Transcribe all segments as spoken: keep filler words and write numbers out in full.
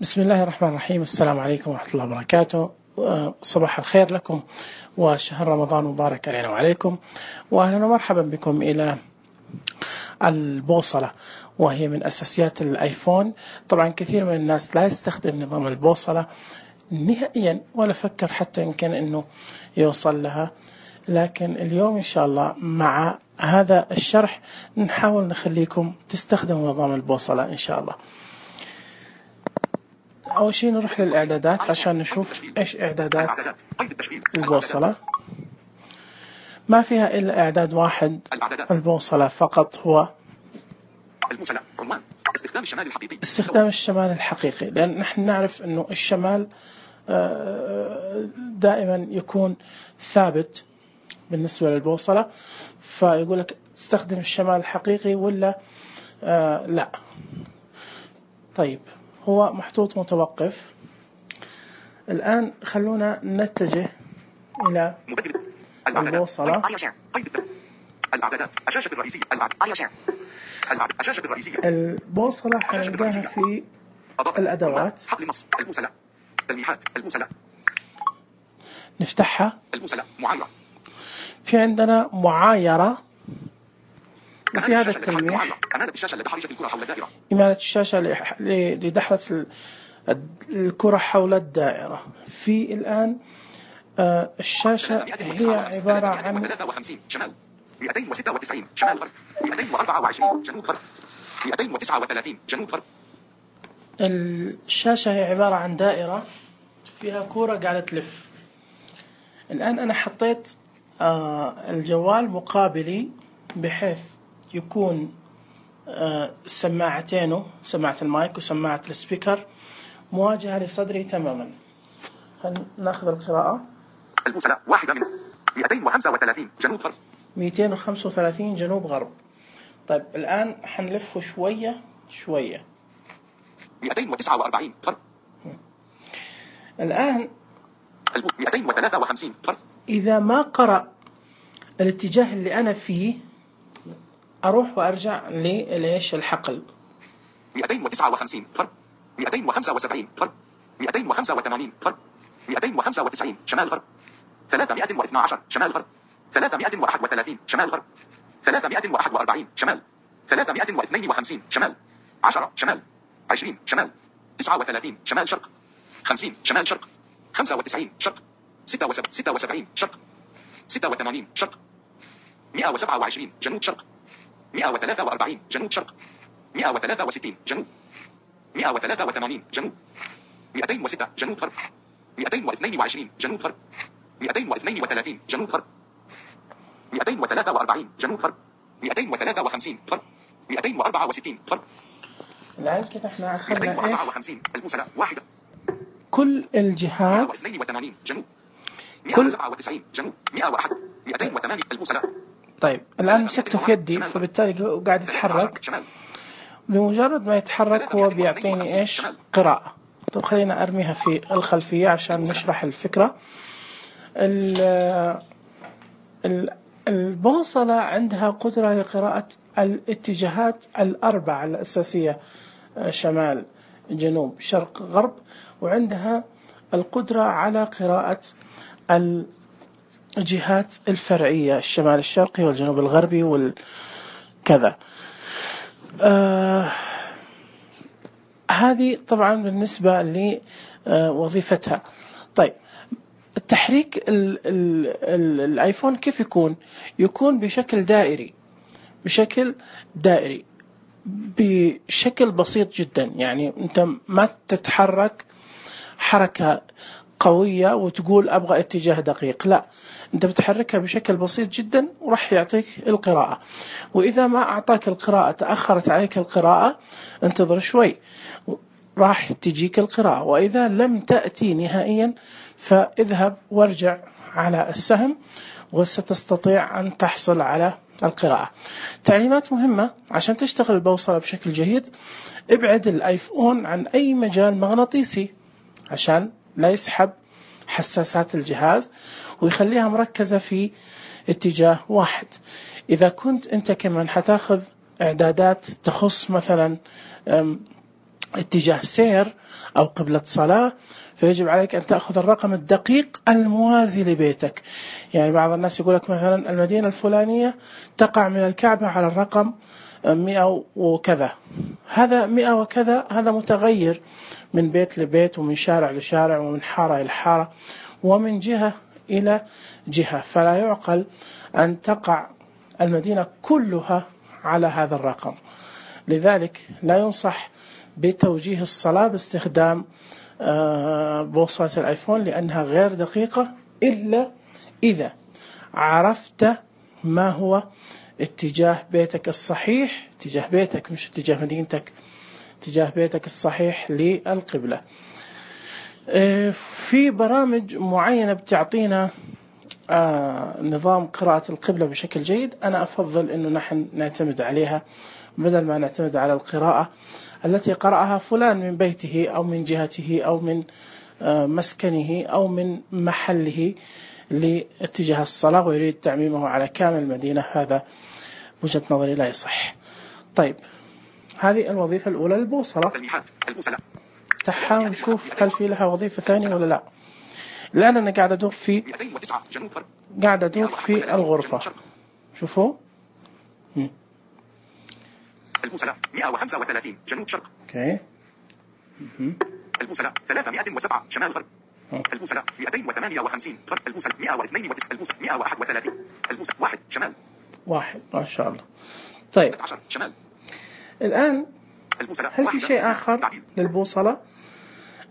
بسم الله الرحمن الرحيم. السلام عليكم ورحمة الله وبركاته. صباح الخير لكم وشهر رمضان مبارك علينا وعليكم، وأهلا ومرحبا بكم إلى البوصلة، وهي من أساسيات الآيفون. طبعا كثير من الناس لا يستخدم نظام البوصلة نهائيا ولا فكر حتى يمكن أنه يوصل لها، لكن اليوم إن شاء الله مع هذا الشرح نحاول نخليكم تستخدموا نظام البوصلة إن شاء الله. أول شيء نروح للإعدادات عشان نشوف إيش إعدادات البوصلة. ما فيها إلا إعداد واحد البوصلة فقط، هو استخدام الشمال الحقيقي، لأن نحن نعرف أنه الشمال دائما يكون ثابت بالنسبة للبوصلة، فيقول لك تستخدم الشمال الحقيقي ولا آه لا. طيب هو محطوط متوقف. الآن خلونا نتجه إلى البوصلة. البوصلة حنلقاها في الأدوات، نفتحها. في عندنا معايرة، وفي هذا التلميح إمالة الشاشة لدحرة الكرة حول الدائرة. في الآن آه الشاشة هي عبارة عن مئتين وستة وتسعين شمال غرب، مئتين وأربعة وعشرين جنوب غرب، مئتين وتسعة وثلاثين جنوب غرب. الشاشة هي عبارة عن دائرة فيها كرة قاعدة تلف. الآن أنا حطيت آه الجوال مقابلي بحيث يكون آه سماعتينه، سماعة المايك وسماعة السبيكر مواجهة لصدري تماما. ناخذ القراءة. البوصلة واحدة من مئتين وخمسة وثلاثين جنوب غرب، مئتين وخمسة وثلاثين جنوب غرب. طيب الآن حنلفه شوية شوية. مئتين وتسعة وأربعين غرب. الآن مئتين وثلاثة وخمسين غرب. إذا ما قرأ الاتجاه اللي أنا فيه أروح وأرجع للإيش الحقل. مئتين وتسعة وخمسين غرب، مئتين وخمسة وسبعين غرب، مئتين وخمسة وثمانين غرب، مئتين وخمسة وتسعين شمال غرب، ثلاثمائة واثني عشر شمال غرب، ثلاثمائة وواحد وثلاثين شمال غرب، ثلاثمائة وواحد وأربعين شمال، ثلاثمائة واثنين وخمسين شمال، عشرة شمال، عشرين شمال، تسعة وثلاثين شمال شرق، خمسين شمال شرق، خمسة وتسعين شرق، ستة وسبعين ستة وسبعين شرق، ستة وثمانين شرق، مئة وسبعة وعشرين جنوب شرق، مئة وثلاثة وأربعين جنوب شرق، مئة وثلاثة وستين جنوب، مئة وثلاثة وثمانين جنوب، مئتين وستة جنوب غرب، مئتين واثنين وعشرين جنوب غرب، مئتين واثنين وثلاثين جنوب غرب، مئتين وثلاثة وأربعين جنوب غرب، مئتين وثلاثة وخمسين غرب، مئتين وأربعة وستين غرب. الآن كده احنا أخذنا مئتين وأربعة وخمسين البوصلة واحدة. كل الجهات. مئة واثنين وثمانين جنوب، مئة وسبعة وتسعين جنوب، مئة وواحد، مئتين وثمانين البوصلة. طيب الآن مسكته في يدي فبالتالي قاعد يتحرك. بمجرد ما يتحرك هو بيعطيني إيش؟ قراءة. طب خلينا أرميها في الخلفية عشان نشرح الفكرة. البوصلة عندها قدرة لقراءة الاتجاهات الأربعة الأساسية، شمال جنوب شرق غرب، وعندها القدرة على قراءة الجهات الفرعية، الشمال الشرقي والجنوب الغربي والكذا. آه هذه طبعا بالنسبة لوظيفتها. طيب التحريك ال ال ال الايفون كيف يكون؟ يكون بشكل دائري، بشكل دائري بشكل بسيط جدا. يعني انت ما تتحرك حركة قوية وتقول ابغى اتجاه دقيق، لا، انت بتحركها بشكل بسيط جدا وراح يعطيك القراءة. واذا ما اعطاك القراءة، تأخرت عليك القراءة، انتظر شوي راح تجيك القراءة. واذا لم تأتي نهائيا فاذهب وارجع على السهم وستستطيع ان تحصل على القراءة. تعليمات مهمة عشان تشتغل البوصلة بشكل جيد: ابعد الايفون عن اي مجال مغناطيسي عشان لا يسحب حساسات الجهاز ويخليها مركزة في اتجاه واحد. إذا كنت أنت كمان حتاخذ إعدادات تخص مثلا اتجاه سير أو قبلة صلاة، فيجب عليك أن تأخذ الرقم الدقيق الموازي لبيتك. يعني بعض الناس يقول لك مثلا المدينة الفلانية تقع من الكعبة على الرقم مئة وكذا، هذا مئة وكذا هذا متغير من بيت لبيت ومن شارع لشارع ومن حارة إلى حارة ومن جهة إلى جهة، فلا يعقل أن تقع المدينة كلها على هذا الرقم. لذلك لا ينصح بتوجيه الصلاة باستخدام بوصلة الآيفون لأنها غير دقيقة، إلا إذا عرفت ما هو اتجاه بيتك الصحيح، اتجاه بيتك مش اتجاه مدينتك، اتجاه بيتك الصحيح للقبلة. في برامج معينة بتعطينا نظام قراءة القبلة بشكل جيد، أنا أفضل أنه نحن نعتمد عليها بدل ما نعتمد على القراءة التي قرأها فلان من بيته أو من جهته أو من مسكنه أو من محله لاتجاه الصلاة ويريد تعميمه على كامل المدينة. هذا وجهة نظري لا يصح. طيب هذه الوظيفة الأولى للبوصلة. تعالوا نشوف هل في لها وظيفة ثانية ولا لا. الآن أنا قاعد أدور في قاعد أدور في الغرفة. شوفوا البوصلة مئة وخمسة وثلاثين جنوب شرق. اوكي. البوصلة ثلاثمائة وسبعة شمال غرب. البوصلة مئتين وثمانية وخمسين غرب. البوصلة مئة واثنين وتسعين. البوصلة مئة وواحد وثلاثين. البوصلة واحد شمال. واحد ما شاء الله. طيب ستة عشر شمال. الآن هل في شيء آخر للبوصلة؟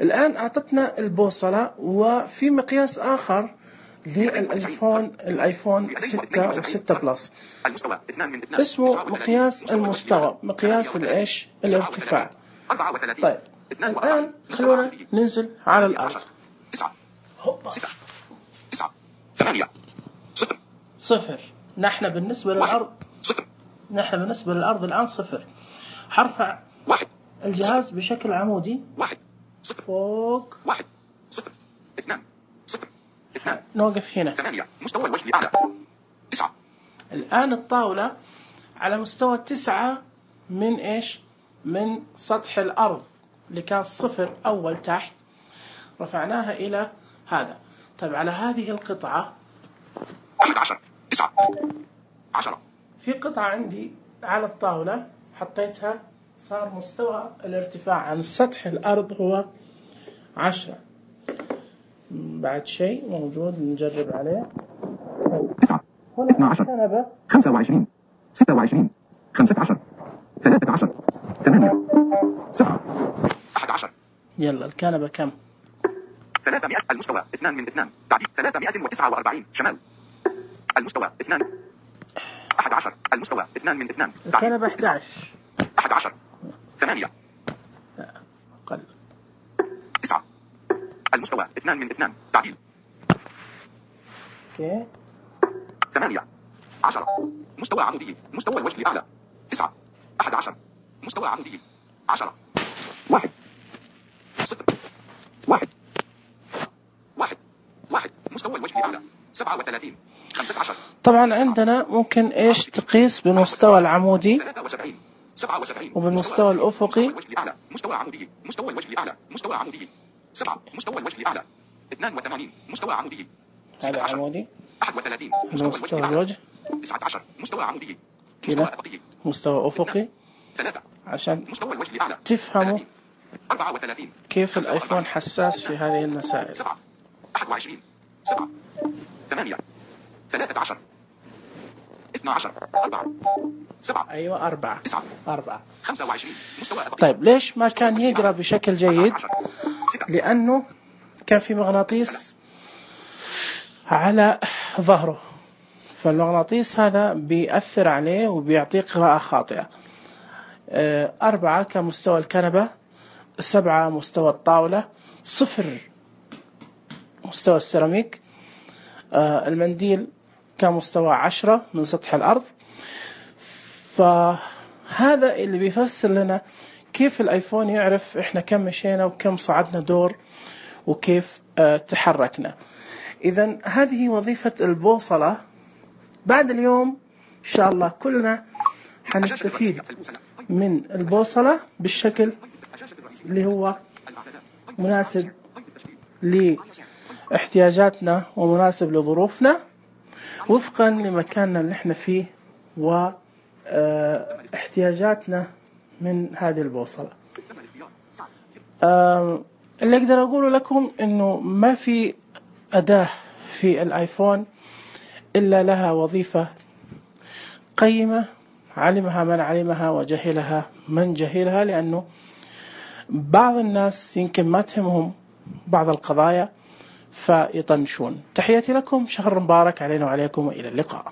الآن أعطتنا البوصلة وفي مقياس آخر للآيفون الآيفون ستة وستة بلس اسمه مقياس المستوى، مقياس الإيش الارتفاع. طيب الآن خلونا ننزل على الأرض. صفر. نحن بالنسبة للأرض نحن بالنسبة للأرض الآن صفر. حرفع الجهاز بشكل عمودي فوق واحد صفر اثنان صفر اثنان. نوقف هنا. ثمانية مستوى الوجه الأعلى. تسعة. الآن الطاولة على مستوى تسعة من إيش؟ من سطح الأرض اللي كان صفر أول تحت، رفعناها إلى هذا. طيب على هذه القطعة أحد عشر تسعة عشرة. في قطعة عندي على الطاولة حطيتها صار مستوى الارتفاع عن سطح الأرض هو عشرة. بعد شيء موجود نجرب عليه. تسعة اثنا عشر خمسة وعشرين ستة وعشرين خمسة عشر ثلاثة عشر ثمانية سبعة أحد عشر. يلا الكنبة كم؟ ثلاثمائة. المستوى اثنان من اثنان تعديل ثلاثمائة وتسعة وأربعين شمال. المستوى اثنان. أحد عشر. المستوى اثنان من اثنان الكنبة أحد عشر. أحد عشر. ثمانية. أقل. تسعة. المستوى اثنان من اثنان تعديل. اوكي. ثمانية. عشرة. مستوى عمودي. مستوى الوجه الأعلى. تسعة. أحد عشر. مستوى عمودي. عشرة. واحد. صفر. واحد. واحد. واحد. مستوى الوجه الأعلى. سبعة وثلاثين. خمسة عشر. طبعا عندنا ممكن إيش تقيس بالمستوى العمودي ثلاثة وسبعين. سبعة وسبعين. وبالمستوى الأفقي. الوجه الأعلى. مستوى عمودي. مستوى الوجه الأعلى. مستوى عمودي. سبعة. مستوى الوجه الأعلى. اثنان وثمانين. مستوى عمودي. هذا عمودي. أحد وثلاثين. مستوى الوجه. تسعة عشر. مستوى عمودي. كذا. مستوى أفقي. ثلاثة. عشان مستوى الوجه الأعلى. تفهموا أربعة وثلاثين. كيف الآيفون حساس في هذه المسائل. سبعة. أحد وعشرين. سبعة. ثمانية. ثلاثة عشر. اثنا عشر. أربعة. سبعة. أيوة أربعة. تسعة. أربعة. خمسة وعشرين. مستوى أفقي. طيب ليش ما كان يقرأ بشكل جيد؟ لأنه كان في مغناطيس على ظهره، فالمغناطيس هذا بيأثر عليه وبيعطيه قراءة خاطئة. أربعة كمستوى الكنبة، سبعة مستوى الطاولة، صفر مستوى السيراميك، المنديل كمستوى عشرة من سطح الأرض. فهذا اللي بيفسر لنا كيف الآيفون يعرف إحنا كم مشينا وكم صعدنا دور وكيف تحركنا. إذن هذه وظيفة البوصلة. بعد اليوم إن شاء الله كلنا حنستفيد من البوصلة بالشكل الشاشة الرئيسية. اللي هو الإعدادات. مناسب قيد التشغيل. لاحتياجاتنا ومناسب لظروفنا وفقا لمكاننا اللي احنا فيه واحتياجاتنا من هذه البوصلة. تم الاختيار. ساعة. آم، اللي أقدر أقوله لكم إنه ما في أداة في الآيفون إلا لها وظيفة قيمة علمها من علمها وجهلها من جهلها، لأنه بعض الناس يمكن ما تهمهم بعض القضايا فيطنشون. تحياتي لكم، شهر مبارك علينا وعليكم وإلى اللقاء.